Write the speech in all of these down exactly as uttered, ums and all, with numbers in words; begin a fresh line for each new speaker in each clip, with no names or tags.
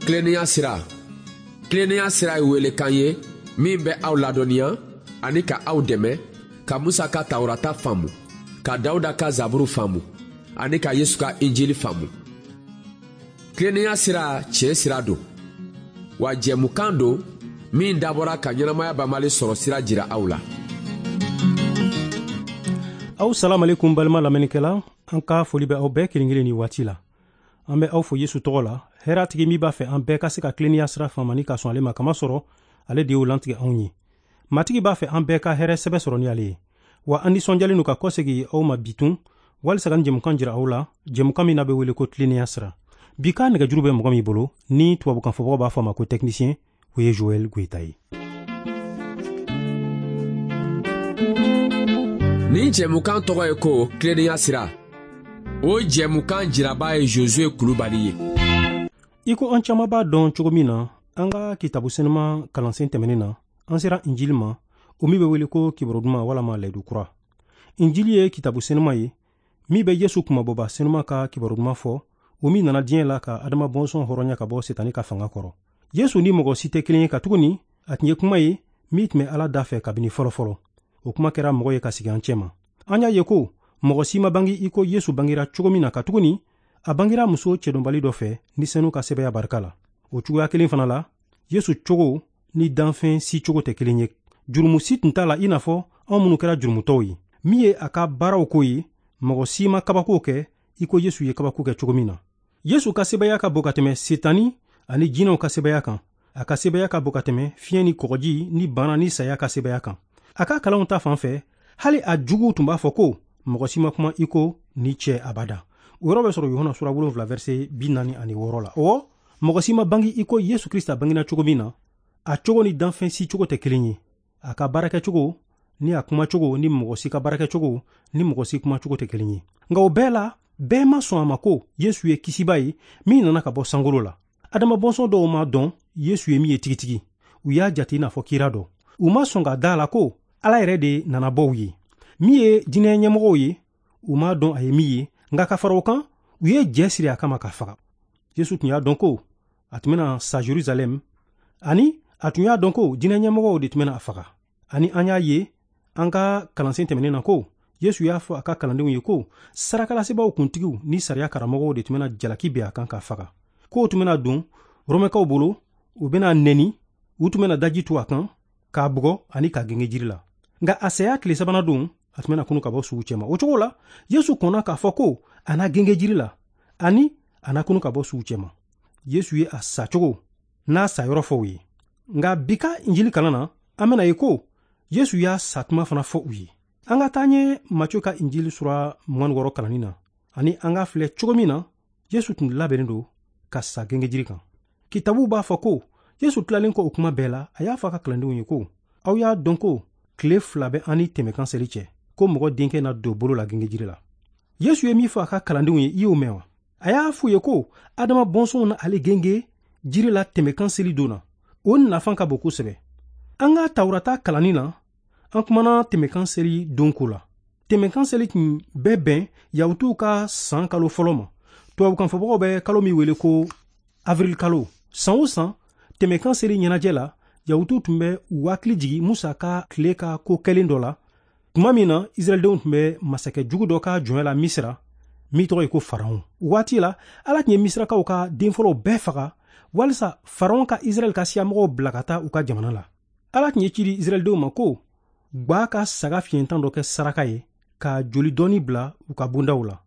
Tilennenya sira. Tilennenya sira ye welekan ye min bɛ aw ladɔnniya ani ka aw dɛmɛ ka Musa ka Tawurata faamu, ka Dawuda ka Zaburu faamu ani ka Yesu ka Injili faamu. Tilennenya sira tiɲɛ sira don, wa jɛmukan don min dabɔra ka ɲɛnamaya banbali sɔrɔ sira jira aw la.
Aw salam alaikum balima lamɛnnikɛla, an ka foli bɛ aw bɛɛ kelen kelen ni waati la. An bɛ aw fo Yesu tɔgɔ la, hɛrɛtigi min b'a fɛ an bɛɛ ka se ka tilennenya sira faamu ani ka sɔn ale ma, kamasɔrɔ ale de y'o lantigɛ anw ye. Matigi b'a fɛ an bɛɛ ka hɛrɛ sɛbɛ sɔrɔ ni ale ye. Wa an nisɔndiyalen don ka kɔsegin aw ma bi tun, walisa ka nin jɛmukan jira aw la, jɛmukan min n'a bɛ wele ko tilennenya sira. Bi ka nɛgɛjuru bɛ mɔgɔ min bolo, ni tubabukan fɔbagaw b'a fɔ a ma ko technicien, o ye Joël Goïta ye.
Nin jɛmukan tɔgɔ ye ko tilennenya sira. O jɛmukan jiraba ye Josué Kulubali ye.
I ko an caman b'a dɔn cogo min na, an ka kitabu senuma kalansen tɛmɛnen na, an sera Injili ma, o min bɛ wele ko kibaru duman walama layidu kura. Injili ye kitabu senuma ye min bɛ Yesu kunmabɔba senuma ka kibaru duman fɔ, o min nana diɲɛ la ka Adama bɔnsɔn hɔrɔnya ka bɔ Setani ka fanga kɔrɔ. Yesu ni mɔgɔ si tɛ kelen ye katuguni a tun ye kuma ye min tun bɛ Ala da fɛ kabini fɔlɔ-fɔlɔ. O kuma kɛra mɔgɔ ye ka sigi an cɛma. An y'a ye ko mɔgɔ si ma bange i ko Yesu bangera cogo min na, katuguni a bangera muso cɛdɔnbali dɔ fɛ ni senu ka sɛbɛya barika la. O cogoya kelen fana la, Yesu cogo ni danfɛn si cogo tɛ kelen ye. Jurumu si tun t'a la i n'a fɔ anw minnu kɛra jurumutɔw ye. Min ye a ka baaraw ko ye, mɔgɔ si ma kabako kɛ i ko Yesu ye kabako kɛ cogo min na. Yesu ka sɛbɛya ka bon ka tɛmɛ Setani ani jinɛw ka sɛbɛya kan. A ka sɛbɛya ka bon ka tɛmɛ fiɲɛ ni kɔgɔji ni bana ni saya ka sɛbɛya kan. A ka kalanw ta fan fɛ, hali a juguw tun b'a fɔ ko mɔgɔ si ma kuma i ko ni cɛ abada. O yɔrɔ bɛ sɔrɔ Yohana sura wolonwula verset bi naani ani wɔɔrɔ la. Ɔwɔ, mɔgɔ si ma bange i ko Yesu Krista bangena cogo min na, a cogo ni danfɛn si cogo tɛ kelen ye. A ka baarakɛcogo ni a kumacogo ni mɔgɔ si ka baarakɛcogo ni mɔgɔ si kumacogo tɛ kelen ye. Nka o bɛɛ la, bɛɛ ma sɔn a ma ko Yesu ye kisiba ye min nana ka bɔ sankolo la. Adama bɔnsɔn dɔw ma dɔn Yesu ye min ye tigitigi. U y'a jate i n'a fɔ kira dɔ. U ma sɔn ka da la ko Ala yɛrɛ de nana bɔ u ye. Min ye jinɛ ɲɛmɔgɔw ye, u m'a dɔn a ye min ye, nka ka fara o kan, u ye jɛ siri a kama ka faga. Yesu tun y'a dɔn ko a tun bɛna sa Jerusalɛm, ani a tun y'a dɔn ko jinɛ ɲɛmɔgɔw de tun bɛna a faga. Ani an y'a ye an ka kalansen tɛmɛnen na ko Yesu y'a fɔ a ka kalandenw ye ko sarakalasebaaw kuntigiw ni sariya karamɔgɔw de tun bɛna jalaki bin a kan ka faga. K'o tun bɛna don Romɛkaw bolo, u bɛna nɛni, u tun bɛna daji tu a kan, k'a bugɔ ani k'a genge jiri la. Nka a saya tile sabanan don, a tun bɛna kunu ka bɔ suw cɛma. O cogo la, Yesu kɔnna k'a fɔ ko a na genge jiri la ani a na kunu ka bɔ suw cɛma. Yesu ye a sacogo n'a sayɔrɔ fɔ u ye. Nka bi ka Injili kalan na, an bɛna ye ko Yesu y'a satuma fana fɔ u ye. An ka taa ɲɛ Matthieu ka Injili sura mugan ni wɔɔrɔ kalanni na, ani an ka filɛ cogo min na Yesu tun labɛnnen don ka sa genge jiri kan. Kitabu b'a fɔ ko Yesu tilalen kɔ o kuma bɛɛ la, a y'a fɔ a ka kalandenw ye ko aw y'a dɔn ko tile fila bɛ an ni tɛmɛkan seli cɛ, ko mɔgɔ denkɛ na don bolo la genge jiri la. Yesu ye min fɔ a ka kalandenw ye, i y'o mɛn wa? A y'a f'u ye ko Adama bɔnsɔnw na ale genge jiri la tɛmɛkan seli don na. O nafa ka bon kosɛbɛ. An ka Tawurata kalanni na, an kumana tɛmɛkan seli don ko la. Tɛmɛkan seli tun bɛ bɛn Yahutuw ka san kalo fɔlɔ ma. Tubabukanfɔbagaw bɛ kalo min wele ko avril kalo. San o san, tɛmɛkan seli ɲɛnajɛ la, Yahutuw tun bɛ u hakili jigin Musa ka tile ka ko kɛlen dɔ la, tuma min na Israɛldenw tun bɛ masakɛ jugu dɔ ka jɔnya la Misira, min tɔgɔ ye ko Faraon. O waati la, Ala tun ye Misirakaw ka den fɔlɔw bɛɛ faga walisa Faraon ka Israɛl ka siyamɔgɔw bila ka taa u ka jamana la. Ala tun ye ci di Israɛldenw ma ko gba ka saga fiɲɛtan dɔ kɛ saraka ye ka joli dɔɔni bila u ka bondaw la.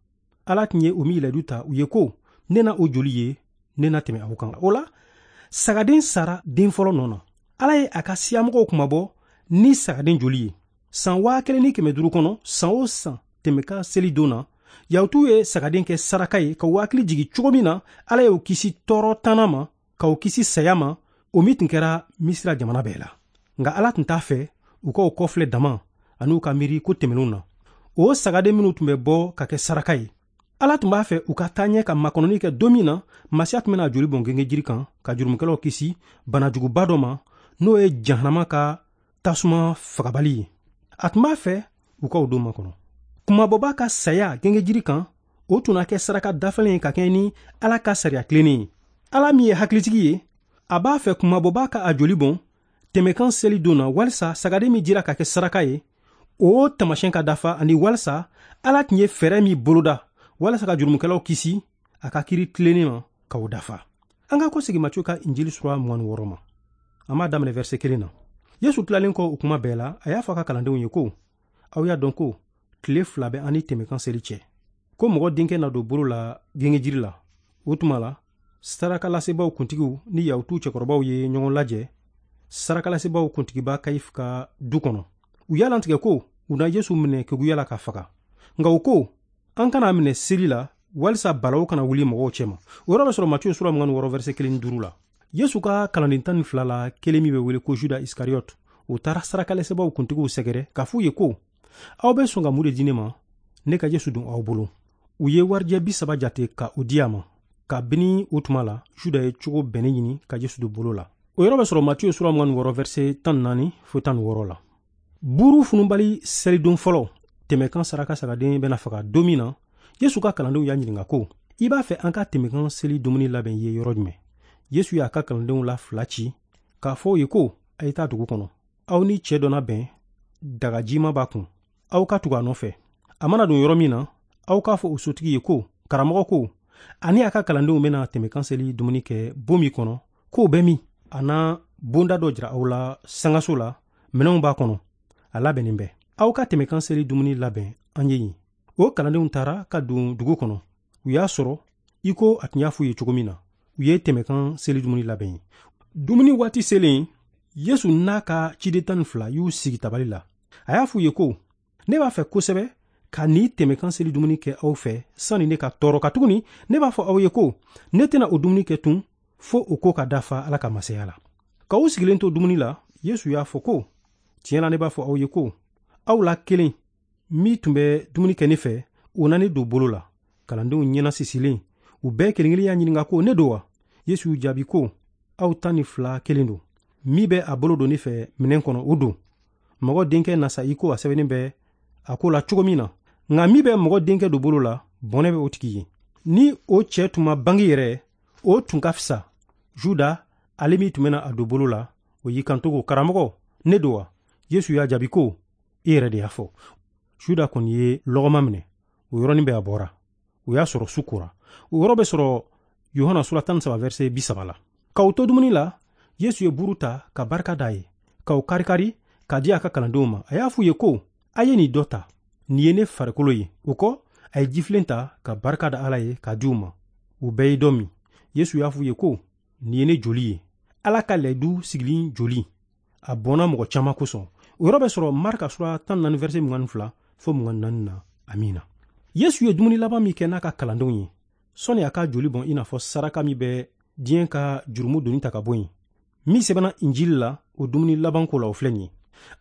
Ala tun ye o min layidu ta u ye ko ne na o joli ye, ne na tɛmɛ aw kan. O la, sagaden sara den fɔlɔ nɔ na. Ala ye a ka siyamɔgɔw kunmabɔ ni sagaden joli ye. San waa kelen ni kɛmɛ duuru kɔnɔ, san o san tɛmɛkan seli don na, Yahutuw ye sagaden kɛ saraka ye ka u hakili jigin cogo min na Ala y'u kisi tɔɔrɔ tanna ma, ka u kisi saya ma, o min tun kɛra Misira jamana bɛɛ la. Nka Ala tun t'a fɛ u ka o kɔfilɛ dama ani u ka miiri ko tɛmɛnenw na. O sagaden minnu tun bɛ bɔ ka kɛ saraka ye, Ala tun b'a fɛ u ka taa ɲɛ ka makɔnɔni kɛ don min na Masiya tun bɛna joli bɔn genge jiri kan ka jurumukɛlaw kisi banajuguba dɔ ma, n'o ye jahanama ka tasuma fagabali ye. A tun b'a fɛ u ka o don makɔnɔ. Kunmabɔba ka saya genge jiri kan, o tun na kɛ saraka dafalen ye ka kɛɲɛ ni Ala ka sariya tilennen ye. Ala min ye hakilitigi ye, a b'a fɛ kunmabɔbaa ka a joli bɔn tɛmɛkan seli don na walisa sagaden min dira ka kɛ saraka ye, o taamasiyɛn ka dafa, ani walisa Ala tun ye fɛɛrɛ min boloda walasa ka jurumukɛlaw kisi a ka kiri tilennen ma ka o dafa. An ka kɔsegin Matiyu ka Injili sura mugan ni wɔɔrɔ ma. An b'a daminɛ verset kelen na. Yesu tilalen kɔ o kuma bɛɛ la, a y'a fɔ a ka kalandenw ye ko, aw y'a dɔn ko tile fila bɛ an ni tɛmɛkan seli cɛ, ko mɔgɔ denkɛ na don bolo la gengejiri la. O tuma la, sarakalasebaaw kuntigiw ni Yahutuw cɛkɔrɔbaw ye ɲɔgɔn lajɛ sarakalasebaaw kuntigiba Kayifu ka du kɔnɔ. U y'a latigɛ ko u na Yesu minɛ keguya la ka faga. Nka u ko, an kana minɛ seli la walisa balawu kana wuli mɔgɔw cɛma. O yɔrɔ bɛ sɔrɔ Matiyu sura mugan ni wɔɔrɔ verset kelen ni duuru la. Yesu ka kalanden tan ni fila la kelen min bɛ wele ko Juda Isikariyote, o taara sarakalasebaaw kuntigiw sɛgɛrɛ k'a f'u ye ko, aw bɛ sɔn ka mun de di ne ma, ne ka Yesu don aw bolo? U ye warijɛ bi saba jate ka o di a ma. Kabini o tuma la, Juda ye cogo bɛnnen ɲini ka Yesu don bolo la. O yɔrɔ bɛ sɔrɔ Matiyu sura mugan ni wɔɔrɔ verset tan ni naani fo tan ni wɔɔrɔ la. Buru fununbali selidon fɔlɔ, tɛmɛkan saraka sagaden bɛna faga don min na, Yesu ka kalandenw y'a ɲininka ko, i b'a fɛ an ka tɛmɛkan seli dumuni labɛn ye yɔrɔ jumɛn? Yesu y'a ka kalandenw la fila ci k'a fɔ u ye ko, a ye taa dugu kɔnɔ. Aw ni cɛ dɔ na bɛn, dagajima b'a kun. Aw ka tugu a nɔfɛ. A mana don yɔrɔ min na, aw k'a fɔ o sotigi ye ko, karamɔgɔ ko, ani a ka kalandenw bɛna tɛmɛkan seli dumuni kɛ bon min kɔnɔ, k'o bɛ min? A na bonda dɔ jira aw la sangaso la, minɛnw b'a kɔnɔ, a labɛnnen bɛ. Aw ka tɛmɛkan seli dumuni labɛn an ye yen. O kalandenw taara ka don dugu kɔnɔ. U y'a sɔrɔ i ko a tun y'a f'u ye cogo min na. U ye tɛmɛkan seli dumuni labɛn ye. Dumuni waati selen, Yesu n'a ka ciden tan ni fila y'u sigi tabali la. A y'a f'u ye ko, ne b'a fɛ kosɛbɛ ka nin tɛmɛkan seli dumuni kɛ aw fɛ sani ne ka tɔɔrɔ, katuguni ne b'a fɔ aw ye ko ne tɛna o dumuni kɛ tun fo o ko ka dafa Ala ka masaya la. K'aw sigilen to dumuni la, Yesu y'a fɔ ko, tiɲɛ la ne b'a fɔ aw ye ko, aw la kelen min tun bɛ dumuni kɛ ne fɛ, o na ne don bolo la. Kalandenw ɲɛna sisilen, u bɛɛ kelen kelen y'a ɲininka ko, ne don wa? Yesu y'u jaabi ko, aw tan ni fila kelen don. Min bɛ a bolo don ne fɛ minɛn kɔnɔ, o don. Mɔgɔ denkɛ na sa i ko a sɛbɛnnen bɛ a ko la cogo min na. Nka min bɛ mɔgɔ denkɛ don bolo la, bɔnɛ bɛ o tigi ye. Ni o cɛ tun ma bange yɛrɛ, o tun ka fisa. Juda, ale min tun bɛna a don bolo la, o y'i kanto ko, karamɔgɔ, ne don wa? Yesu y'a jaabi ko, e yɛrɛ de y'a fɔ. Juda kɔni ye lɔgɔma minɛ, o yɔrɔnin bɛɛ a bɔra. O y'a sɔrɔ su kora. O yɔrɔ bɛ sɔrɔ Yohana sura tan ni saba verset bi saba la. K'aw to dumuni la, Yesu ye buru ta ka barika d'a ye, k'aw karikari k'a di a ka kalandenw ma. A y'a f'u ye ko, a ye nin dɔ ta, nin ye ne farikolo ye. O kɔ, a ye jifilen ta ka barika da Ala ye k'a di u ma. U bɛɛ ye dɔ min. Yesu y'a f'u ye ko, nin ye ne joli ye, Ala ka layidu sigilen joli. A bɔnna mɔgɔ caman kosɔn. O yɔrɔ bɛ sɔrɔ Marka sura tan ni naani verset mugan ni fila fo mugan ni naani na. Amina. Yesu ye dumuni laban min kɛ n'a ka kalandenw ye, sɔnni a ka joli bɔn i n'a fɔ saraka min bɛ diɲɛ ka jurumu doni ta ka bɔ yen, min sɛbɛnna Injili la, o dumuni laban ko la, o filɛ nin ye.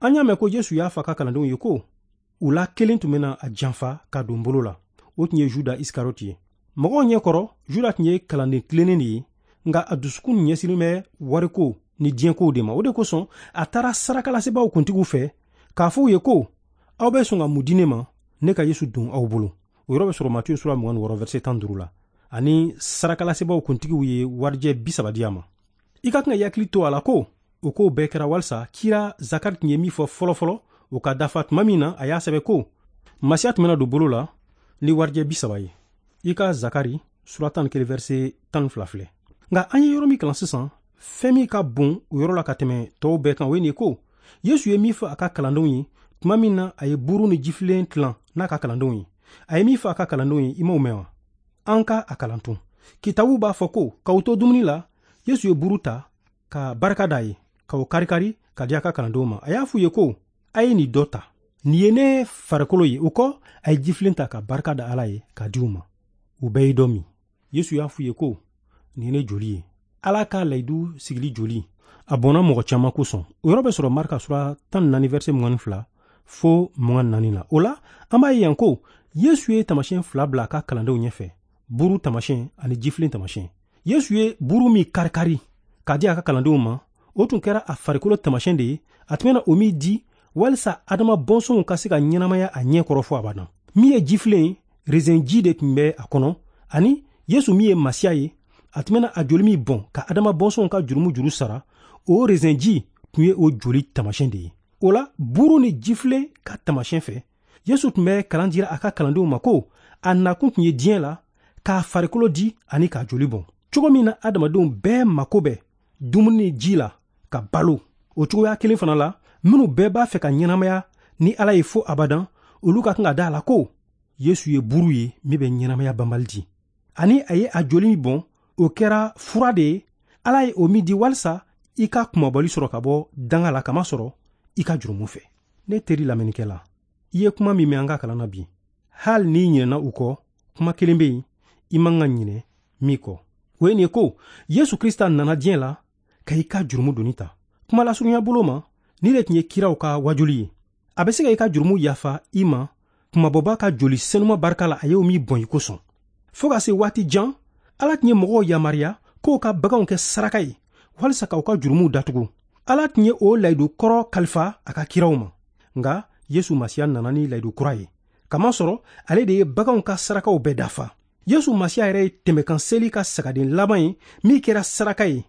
An y'a mɛn ko Yesu y'a fɔ a ka kalandenw ye ko, u la kelen tun bɛna a janfa ka don bolo la. O tun ye Juda Isikariyote ye. Mɔgɔw ɲɛkɔrɔ, Juda tun ye kalanden tilennen de ye, nka a dusukun ɲɛsinnen bɛ wariko ni diɲɛkow de ma. O de kosɔn a taara sarakalasebaaw kuntigiw fɛ k'a fɔ u ye ko, aw bɛ sɔn ka mun di ne ma, ne ka Yesu don aw bolo? O yɔrɔ bɛ sɔrɔ Matiyu sura mugan ni wɔɔrɔ verset tan duuru la. Ani sarakalasebaaw kuntigiw ye warijɛ bi saba di a ma. I ka kan ka hakili to a la ko o kow bɛɛ kɛra walisa kira Zakari tun ye min fɔ fɔlɔfɔlɔ, o ka dafa tuma min na a y'a sɛbɛn ko, Masiya tun bɛna don bolo la ni warijɛ bi saba ye. I ka Zakari sura tan ni kelen verset tan ni fila filɛ. Nka an ye yɔrɔ min kalan sisan, fɛn min ka bon o yɔrɔ la ka tɛmɛ tɔw bɛɛ kan, o ye nin ye ko, Yesu ye min fɔ a ka kalandenw ye tuma min na a ye buru ni jifilen tilan n'a ka kalandenw ye. A ye min fɔ a ka kalandenw ye, i m'o mɛn wa? An ka a kalan tun. Kitabu b'a fɔ ko, k'aw to dumuni la, Yesu ye buru ta ka barika d'a ye, k'o karikari ka di a ka kalandenw ma. A y'a f'u ye ko, a ye nin dɔ ta, nin ye ne farikolo ye. O kɔ, a ye jifilen ta ka barika da Ala ye k'a di u ma. U bɛɛ ye dɔ min. Yesu y'a f'u ye ko, nin ye ne joli ye, Ala ka layidu sigili joli. A bɔnna mɔgɔ caman kosɔn. O yɔrɔ bɛ sɔrɔ Marka sura tan ni naani verset mugan ni fila fo mugan ni naani la. O la, an b'a ye yan ko Yesu ye taamasiyɛn fila bila a ka kalandenw ɲɛfɛ, buru taamasiyɛn ani jifilen taamasiyɛn. Yesu ye buru min karikari k'a di a ka kalandenw ma, o tun kɛra a farikolo taamasiyɛn de ye, a tun bɛna o min di walisa Adama bɔnsɔnw ka se ka ɲɛnamaya a ɲɛ kɔrɔ fo abada. Min ye jifilen ye, rezɛnji de tun bɛ a kɔnɔ, ani Yesu min ye Masiya ye, A tun bɛna a joli min bɔn ka Adama bɔnsɔnw ka jurumu juru sara, o rezɛnji tun ye o joli taamasiyɛn de ye. O la, buru ni jifilen ka taamasiyɛn fɛ, Yesu tun bɛ kalan dira a ka kalandenw ma ko a nakun tun ye diɲɛ la k'a farikolo di ani k'a joli bɔn. Cogo min na adamadenw bɛɛ mako bɛ dumuni ni ji la ka balo, o cogoya kelen fana la, minnu bɛɛ b'a fɛ ka ɲɛnamaya ni Ala ye fo abadan, olu ka kan ka da a la ko Yesu ye buru ye min bɛ ɲɛnamaya banbali di, ani a ye a joli min bɔn, o kɛra fura de ye Ala ye o min di walisa i ka kunmabɔli sɔrɔ ka bɔ danga la, kamasɔrɔ i ka jurumu fɛ. Ne teri lamɛnnikɛla, i ye kuma min mɛn an ka kalan na bi, hali n'i ɲinɛna u kɔ, kuma kelen bɛ yen i man ka ɲinɛ min kɔ, o ye nin ye ko Yesu Krista nana diɲɛ la ka i ka jurumu doni ta. Kuma lasurunya bolo ma, ni de tun ye kiraw ka wajuli ye. A bɛ se ka i ka jurumu yafa i ma kunmabɔba ka joli senuma barika la, a y'o min bɔn i kosɔn. Fo ka se waati jan, Ala tun ye mɔgɔw yamaruya k'o ka baganw kɛ saraka ye walisa k'aw ka jurumuw datugu. Ala tun ye o layidu kɔrɔ kalifa a ka kiraw ma, nka Yesu Masiya nana ni layidu kura ye, kamasɔrɔ ale de ye baganw ka sarakaw bɛɛ dafa. Yesu Masiya yɛrɛ ye tɛmɛkan seli ka sagaden laban ye min kɛra saraka ye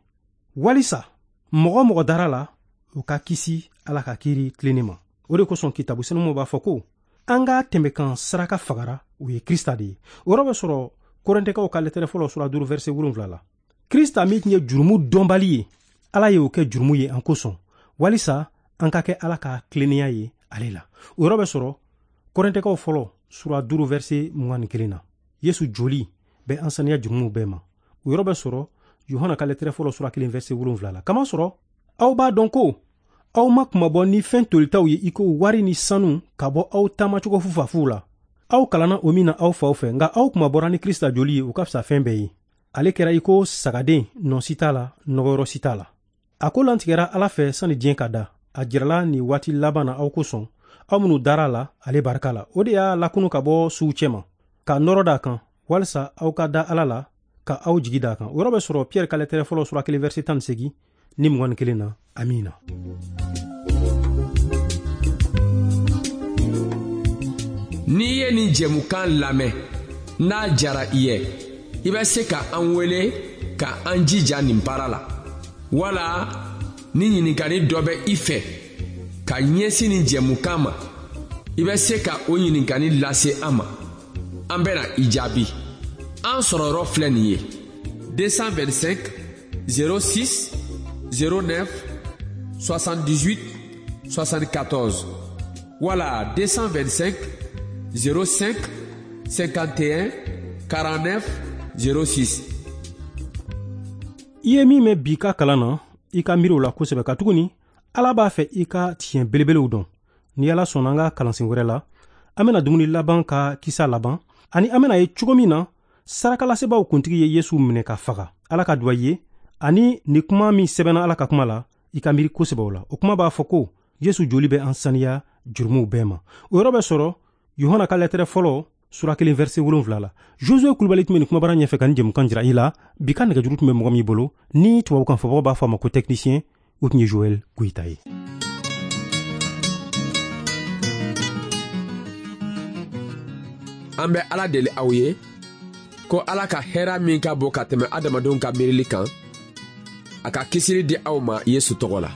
walisa mɔgɔ mɔgɔ dara la, o ka kisi Ala ka kiiri tilennen ma. O de kosɔn kitabu senumaw b'a fɔ ko an ka tɛmɛkan saraka fagara, o ye Krista de ye. O yɔrɔ bɛ sɔrɔ Korintɛkaw ka lɛtɛrɛ fɔlɔ sura duuru verset wolonwula la. Krista min tun ye jurumu dɔnbali ye, Ala ye o kɛ jurumu ye an kosɔn, walisa an ka kɛ Ala ka tilennenya ye ale la. O yɔrɔ bɛ sɔrɔ Korintɛkaw fɔlɔ sura duuru verset mugan ni kelen na. Yesu joli bɛ an saniya jurumuw bɛɛ ma. O yɔrɔ bɛ sɔrɔ Yohana ka lɛtɛrɛ fɔlɔ sura kelen verset wolonwula la. Kamasɔrɔ aw b'a dɔn ko aw ma kunmabɔ ni fɛn tolitaw ye i ko wari ni sanu ka bɔ aw taamacogo fufafuw la. Aw kalanna o min na aw faw fɛ, nka aw kunmabɔra ni Krista joli ye, o ka fisa fɛn bɛɛ ye. Ale kɛra i ko sagaden, nɔ si t'a la, nɔgɔyɔrɔ si t'a la. A ko lantigɛra Ala fɛ sani diɲɛ ka da. A jirala nin waati laban na aw kosɔn, aw minnu dara la ale barika la. O de y'a lakunu ka bɔ suw cɛma, ka nɔrɔ d'a kan, walisa aw ka da Ala la, ka aw jigi d'a kan. O yɔrɔ bɛ sɔrɔ Pierre ka lɛtɛrɛ fɔlɔ sura kelen verset tan ni seegin ni mugan ni kelen na. Amiina.
N'i ye nin jɛmukan lamɛn, n'a jara i ye, i bɛ se ka an wele ka an jija nin baara la, wala ni ɲininkali dɔ bɛ i fɛ ka ɲɛsin nin jɛmukan ma, i bɛ se ka o ɲininkali lase an ma. An bɛna i jaabi. An sɔrɔ yɔrɔ filɛ nin ye: deux cent vingt-cinq zéro six zéro neuf soixante-dix-huit soixante-quatorze wala deux cent vingt-cinq zéro cinq cinquante et un quarante-neuf zéro six.
I ye min mɛn bi ka kalan na, i ka miiri o la kosɛbɛ, katuguni Ala b'a fɛ i ka tiɲɛ belebelew dɔn. Ni Ala sɔnna, an ka kalansen wɛrɛ la, an bɛna dumuni laban ka kisa laban, ani an bɛna ye cogo min na sarakalasebaaw kuntigi ye Yesu minɛ ka faga. Ala ka duwa ye, ani ni kuma min sɛbɛnna Ala ka kuma la, i ka miiri kosɛbɛ o la. O kuma b'a fɔ ko Yesu joli bɛ an saniya jurumuw bɛɛ ma. O yɔrɔ bɛ sɔrɔ Yohana ka lɛtɛrɛ fɔlɔ sura kelen verset wolonwula la. Josue Kulubali tun bɛ nin kumabara ɲɛfɛ ka nin jɛmukan jira i la. Bi ka nɛgɛjuru tun bɛ mɔgɔ min bolo, ni tubabukan fɔbagaw b'a fɔ a ma ko technicien, o tun ye Joël Goyita ye.
An bɛ Ala deli aw ye ko Ala ka hɛrɛ min ka bon ka tɛmɛ adamadenw ka miirili kan, a ka kisili di aw ma Yesu tɔgɔ la.